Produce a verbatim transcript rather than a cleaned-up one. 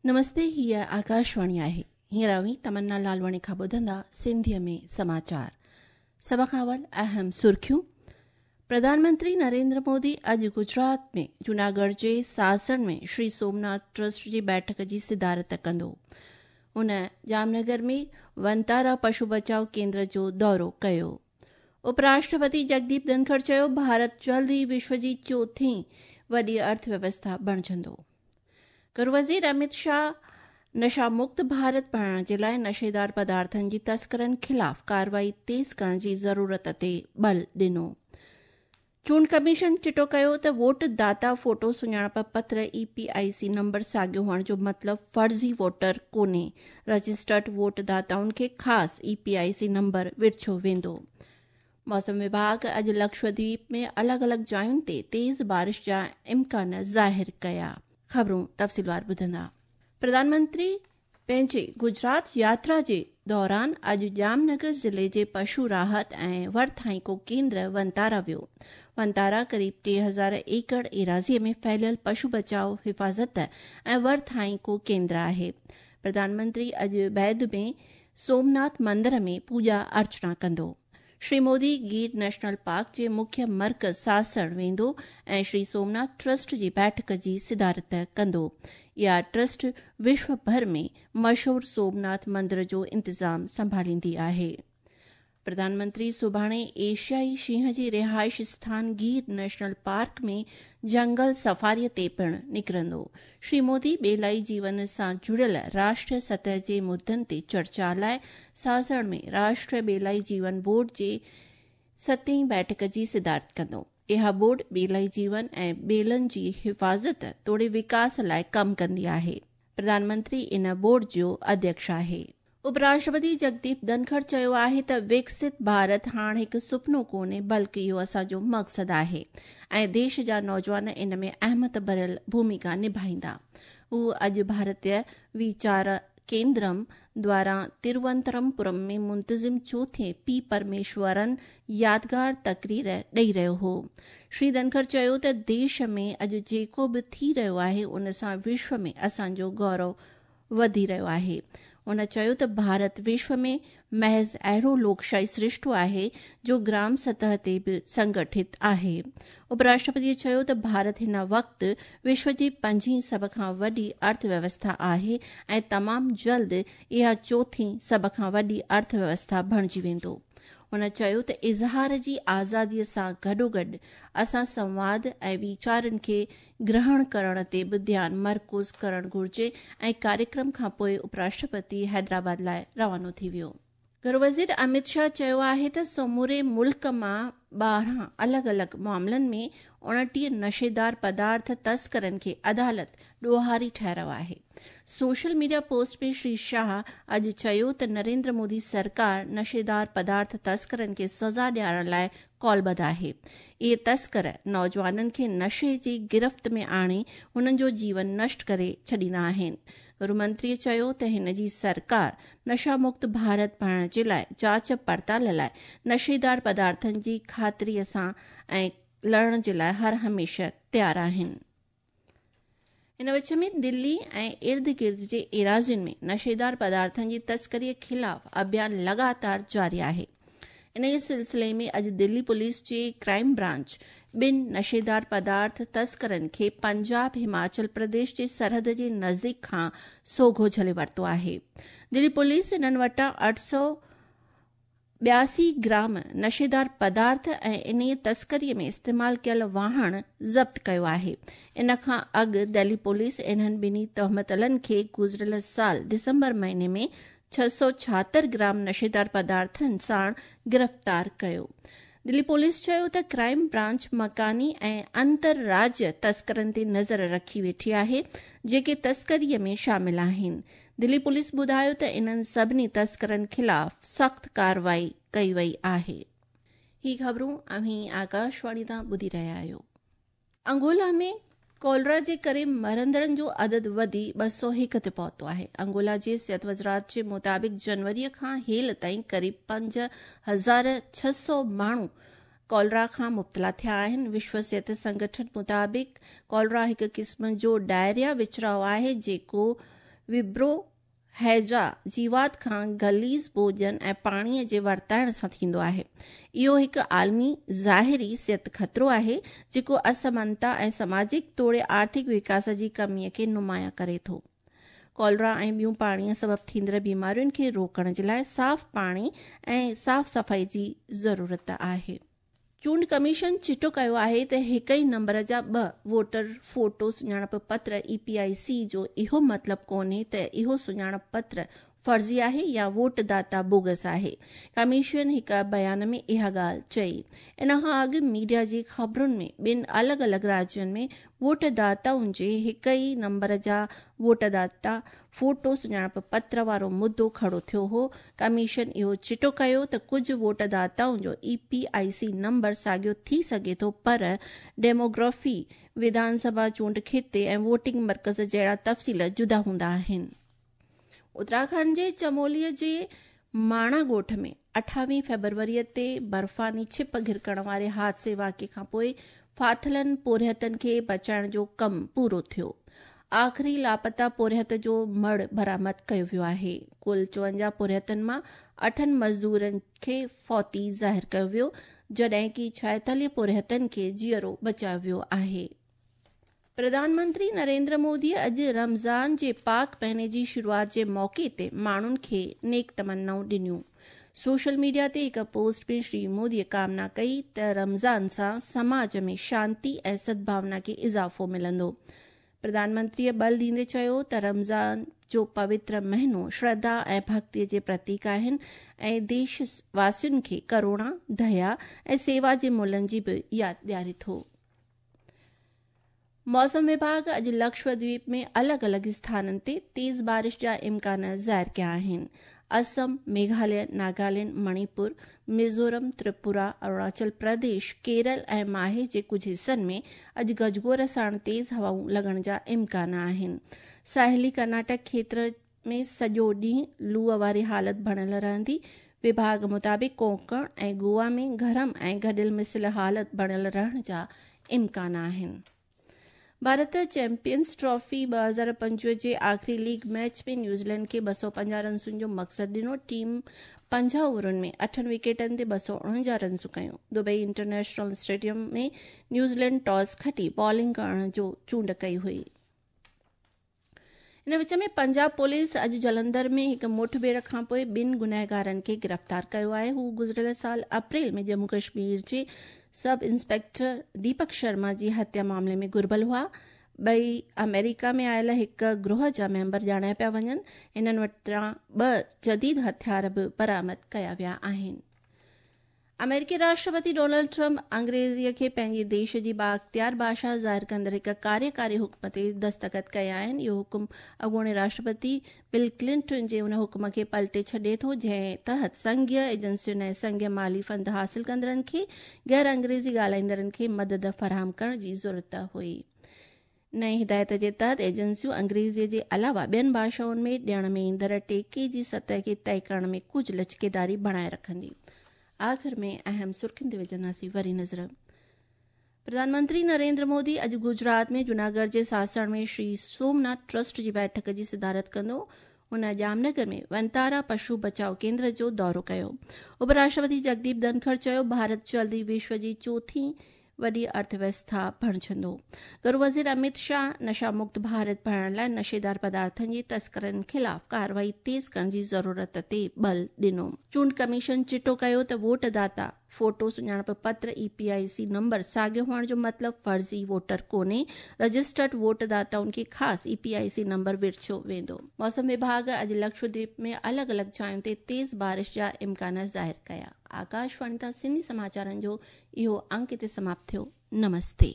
नमस्ते, हीअ आकाशवाणी आहे। हींअर अव्हीं तमन्ना लालवाणी खां ॿुधंदा सिंधीअ में समाचार। सभ खां अवल अहम सुर्खियूं। प्रधानमंत्री नरेंद्र मोदी अॼु गुजरात में जूनागढ़ जे सासण में श्री सोमनाथ ट्रस्ट जी बैठक जी सिदारत कंदो। हुन जामनगर में वनतारा पशु बचाव केंद्र जो दौरो कयो। उपराष्ट्रपति जगदीप धनखड़ चयो, भारत जल्द ई विश्व जी चोथीं वॾी अर्थव्यवस्था बणिजंदो। गृह वज़ीर अमित शाह नशा मुक्त भारत बणाइण जे लाइ नशेदार पदार्थनि जी तस्करनि ख़िलाफ़ कार्रवाई तेज़ करण जी ज़रूरत ते बल ॾिनो। चूंड कमीशन चिटो कयो त वोट दाता फोटो सुञाणप पत्र E P I C number साॻियो हुअण जो मतिलबु फ़र्ज़ी वोटर कोन्हे। रजिस्टर्ड वोट दाताउनि खे ख़ासि E P I C number विरिछो वेंदो। मौसम विभाग अॼु लक्षद्वीप में अलॻि अलॻि जायुनि ते तेज़ बारिश जा इम्कान ज़ाहिर कया। ख़बरूं तफ़सीलवार ॿुधंदा। प्रधानमंत्री पंहिंजे गुजरात यात्रा जे दौरान अॼु जामनगर ज़िले जे पशु राहत ऐं वरथाइको केंद्र वनतारा वियो। वनतारा क़रीब टे हज़ार एकड़ एराज़ीअ में फैलियल पशु बचाव, हिफ़ाज़त ऐं वरथाइको केंद्र आहे। प्रधानमंत्री अॼु बैद में सोमनाथ मंदिर में पूॼा अर्चना कंदो। श्री मोदी गिर नेशनल पार्क जे मुख्य मर्कज़ सासण वेंदो ऐं श्री सोमनाथ ट्रस्ट जी बैठक जी सिदारत कंदो। इहा ट्रस्ट विश्व भर में मशहूर सोमनाथ मंदिर जो इंतज़ाम संभालींदी आहे। प्रधानमंत्री सुभाणे एशियाई शींहं जी रिहाइश स्थान गिर नेशनल पार्क में जंगल सफारीअ ते पिणु निकिरंदो। श्री मोदी ॿेलाई जीवन सां जुड़ियल राष्ट्रीय सतह जे मुद्दनि ते चर्चा लाइ सासण में राष्ट्रीय ॿेलाई जीवन बोर्ड जे सतें बैठक जी सिदारत कंदो। इहा बोर्ड ॿेलाई जीवन ऐं ॿेलनि जी हिफ़ाज़त तोड़े विकास लाइ कमु कंदी आहे। प्रधानमंत्री इन बोर्ड जो अध्यक्ष आहे। उपराष्ट्रपति जगदीप धनखड़ चयो आहे त विकसित भारत हाणे हिकु सुपनो कोन्हे, बल्कि इहो असांजो मक़सदु आहे ऐं देश जा नौजवान इन में अहमियत भरियल भूमिका निभाईंदा। हू अॼु भारतीय वीचार केंद्रम द्वारा तिरुवनंतपुरम में मुंतज़िम चोथें पी परमेश्वरन यादगार तकरीर ॾेई रहियो हो। श्री धनखड़ चयो त देश में अॼु जेको बि थी रहियो आहे उन सां विश्व में असांजो गौरव वधी रहियो आहे। हुन चयो त भारत विश्व में महज़ अहिड़ो लोकशाही सृष्टो आहे जो ग्राम सतह ते बि संगठित आहे। उपराष्ट्रपति चयो त भारत हिन वक़्तु विश्व जी पंजीं सभ खां वॾी अर्थव्यवस्था आहे ऐं तमामु जल्द इहा चोथीं सभ खां वॾी अर्थव्यवस्था बणिजी वेंदो। हुन चयो त इज़हार जी आज़ादीअ सां गॾोगॾु असां संवाद ऐं वीचारनि खे ग्रहण करण ते बि ध्यानु मरकूज़ करणु घुरिजे ऐं कार्यक्रम खां पोइ उपराष्ट्रपति हैदराबाद लाइ रवानो थी वियो। गृह वज़ीर अमित शाह चयो आहे त समूरे मुल्क मां ॿारहं अलॻि अलॻि मामलनि में उणिटीह नशेदार पदार्थ तस्करनि खे अदालत ॾोहारी ठहिरायो आहे। सोशल मीडिया पोस्ट में श्री शाह अॼु चयो त नरेंद्र मोदी सरकार नशेदार पदार्थ तस्करनि खे सज़ा ॾियारण लाइ कॉलबद्ध आहे। इहे तस्कर नौजवाननि खे नशे जी गिरफ़्त में आणे हुननि जो जीवन नष्ट करे छॾींदा आहिनि। गृहमंत्रीअ चयो त हिन जी सरकार नशा मुक्त भारत बणाइण जे लाइ जांच पड़ताल लाइ नशेदार पदार्थनि जी ख़ातिरीअ सां ऐं लड़ण जे लाइ हर हमेशह तयारु आहिनि। इन विच में दिल्ली ऐं इर्द गिर्द जे एराज़ियुनि में नशेदार पदार्थनि जी तस्करीअ ख़िलाफ़ अभियान लगातार जारी आहे। इन जे सिलसिले में अॼु दिल्ली पुलिस जे क्राइम ब्रांच ॿिनि नशेदार पदार्थ तस्करनि खे पंजाब हिमाचल प्रदेश जे सरहद जे नज़दीक खां सोघो झले वरितो आहे। दिल्ली पुलिस इन्हनि वटां अठ सौ ॿियासी ग्राम नशेदार पदार्थ ऐं इन तस्करीअ में इस्तेमालु कयल वाहण ज़ब्त कयो आहे। इन खां अॻु दिल्ली पुलिस इन्हनि ॿिन्ही तहमतलनि खे गुज़िरियल साल दिसंबर महीने में छह सौ छाहतरि ग्राम नशेदार पदार्थनि साण गिरफ़्तार कयो। दिल्ली पुलिस चयो त क्राइम ब्रांच मकानी ऐं अंतर राज्य तस्करनि ते नज़र रखी वेठी आहे जेके तस्करीअ में शामिल आहिनि। दिल्ली पुलिस ॿुधायो त इन्हनि सभिनी तस्करनि ख़िलाफ़ सख़्तु कार्रवाई कई वई आहे। ही ख़बरूं अव्हीं आकाशवाणी तां ॿुधी रहिया आहियो। अंगोला में कॉलरा जे करे मरंदड़नि जो अदद वधी ॿ सौ हिकु ते पहुतो आहे। अंगोला जे सिहत वज़ारत जे मुताबिक़ जनवरीअ खां हेल ताईं क़रीब पंज हज़ार छह सौ माण्हू कॉलरा खां मुब्तला थिया आहिनि। विश्व सिहत संगठन मुताबिक़ कॉलरा हिकु क़िस्म जो डायरिया विचराव आहे जेको विब्रो हैजा जीवात खां गलीज़ भोजन ऐं पाणीअ जे वरताइण सां थींदो आहे। इहो हिकु आलमी ज़ाहिरी सिहत ख़तरो आहे जेको असमानता ऐं समाजिक तोड़े आर्थिक विकास जी कमीअ खे नुमायां करे थो। कॉलरा ऐं ॿियूं पाणीअ सबबु थींदड़ बीमारियुनि खे रोकण जे लाइ साफ़ पाणी ऐं साफ़ सफ़ाई जी ज़रूरत आहे। चूंड कमीशन चिटो कयो आहे त हिकु ई नंबर जा ॿ वोटर फोटो सुञाणप पत्र ई पी I सी जो इहो मतिलबु कोन्हे त इहो सुञाणप पत्र फर्ज़ी आहे या वोटदाता बोगस आहे। कमीशन हिकु बयान में इहा ॻाल्हि चई। इन खां अॻु मीडिया जी ख़बरुनि में ॿिनि अलॻि अलॻि राज्यनि में वोटदाताउनि जे हिकु ई नंबर जा वोटदाता फोटो सुञाणप पत्र वारो मुद्दो खड़ो थियो हो। कमीशन इहो चिटो कयो त कुझु वोटदाताउनि जो E P I C number साॻियो थी सघे थो, पर डेमोग्राफी, विधानसभा चूंड खिते ऐं वोटिंग मर्कज़ जहिड़ा तफ़सील जुदा हूंदा आहिनि। उत्तराखंड जे चमोलीअ जे माणा ॻोठ में अठावीह फ़ेब्रुवरीअ ते बर्फ़ानी छिप घिरकण वारे हादसे वाक़िए खां पोइ फाथिलनि पोरियतनि खे बचाइण जो कमु पूरो थियो। आख़िरी लापता पोरियत जो मड़ बरामद कयो वियो आहे। कुल चोवंजाह पोरियतनि मां अठनि मज़दूरनि खे फौती ज़ाहिर कयो वियो, जॾहिं की छाएतालीह पोरियतनि खे जीअरो बचायो वियो आहे। प्रधानमंत्री नरेंद्र मोदी अॼु रमज़ान जे पाक महीने जी शुरूआत जे मौक़े ते माण्हुनि खे नेक तमन्नाऊं ॾिनियूं। सोशल मीडिया ते हिकु पोस्ट में श्री मोदीअ कामना कई त रमज़ान सां समाज में शांति ऐं सद्भावना खे इज़ाफ़ो मिलंदो। प्रधानमंत्रीअ बल ॾींदे चयो त रमज़ान जो पवित्र महीनो श्रद्धा ऐं भक्तीअ जे प्रतीक आहिनि ऐं देश वासियुनि खे करुणा, दया ऐं सेवा जे मुल्यनि जी बि यादि ॾियारे थो। मौसम विभाग अॼु लक्षद्वीप में अलॻि अलॻि स्थाननि ते तेज़ बारिश जा इम्कान ज़ाहिर कया आहिनि। असम, मेघालय, नागालैंड, मणिपुर, मिज़ोरम, त्रिपुरा, अरुणाचल प्रदेश, केरल ऐं माहे जे कुझु हिसनि में अॼु गजगोर साण तेज़ हवाऊं लॻण जा इम्कान आहिनि। साहिली कर्नाटक क्षेत्र में सॼो ॾींहुं लूअ वारी हालत बणियल रहंदी। विभाग मुताबिक़ कोंकण ऐं गोवा में गरम ऐं गॾियल मिसिल हालत बणियल रहण जा इम्कान आहिनि। भारत चैंपियंस ट्रॉफी ॿ हज़ार पंजवीह जे आख़िरी लीग मैच में न्यूज़ीलैंड खे ॿ सौ पंजाह रनसुनि जो मक़सदु ॾिनो। टीम पंजाह ओवरनि में अठनि विकेटनि ते ॿ सौ उणंजाह रनसूं कयूं। दुबई इंटरनेशनल स्टेडियम में न्यूज़ीलैंड टॉस खटी बॉलिंग करण जो चूंड कई हुई। इन विच में पंजाब पुलिस अॼु जलंधर में हिकु मुठभेड़ खां पोइ ॿिनि गुनहगारनि खे गिरफ़्तार कयो आहे। हू गुज़िरियल साल अप्रैल में जम्मू कश्मीर जे सब इंस्पेक्टर दीपक शर्मा जी हत्या मामले में घुर्बल हुआ। ॿई अमेरिका में आयल हिकु ग्रोह जा मेंबर ॼाणाया पिया वञनि। हिननि वटां ॿ जदीद हथियार बि बरामद कया विया आहिनि। अमेरिकी राष्ट्रपति डोनाल्ड ट्रंप अंग्रेज़ीअ खे पंहिंजे देश जी बाअख़्तियार भाषा ज़ाहिर कंदड़ हिकु कार्यकारी हुक्म ते दस्तख़त कया आहिनि। इहो हुक्म अॻूणे राष्ट्रपति बिल क्लिंटन जे उन हुक्म खे पलटे छॾे थो जंहिं तहत संघीय एजेंसियुनि ऐं संघीय माली फंड हासिल कंदड़नि खे गैर अंग्रेज़ी ॻाल्हाईंदड़नि खे मदद फराहम करण जी ज़रूरत हुई। नई हिदायत जे तहत एजेंसियूं अंग्रेज़ीअ जे अलावा ॿियनि भाषाउनि में ॾियण में ईंदड़ टेके जी सतह खे तय करण में कुझु लचकेदारी बणाए रखंदी। आख़िर में अहम सुर्खियुनि ते विझंदासीं वरी नज़र। प्रधानमंत्री नरेंद्र मोदी अॼु गुजरात में जूनागढ़ जे सासण में श्री सोमनाथ ट्रस्ट जी बैठक जी सदारत कंदो। हुन जामनगर में वनतारा पशु बचाव केंद्र जो दौरो कयो। उपराष्ट्रपति जगदीप धनखड़ चयो भारत जल्दी विश्व जी चौथी वॾी अर्थव्यवस्था बणजंदो। गृह वज़ीर अमित शाह नशा मुक्त भारत बणाइण लाइ नशेदार पदार्थनि जे तस्करनि ख़िलाफ़ कार्रवाई तेज़ करण जी ज़रूरत ते बल ॾिनो। चूंड कमीशन चिटो कयो त वोटदाता फोटो सुञाणप पत्र E P I C number साॻियो हुअण जो मतिलबु फ़र्ज़ी वोटर कोन्हे। रजिस्टर्ड वोटदाताउनि खे ख़ासि E P I C number विरछियो वेंदो। मौसम विभाग अॼु लक्षद्वीप में अलॻि अलॻि जायुनि ते तेज़ बारिश जा इम्कान ज़ाहिर कया। आकाशवाणी तां सिंधी समाचारनि जो इहो अंक हिते समाप्त थियो। नमस्ते।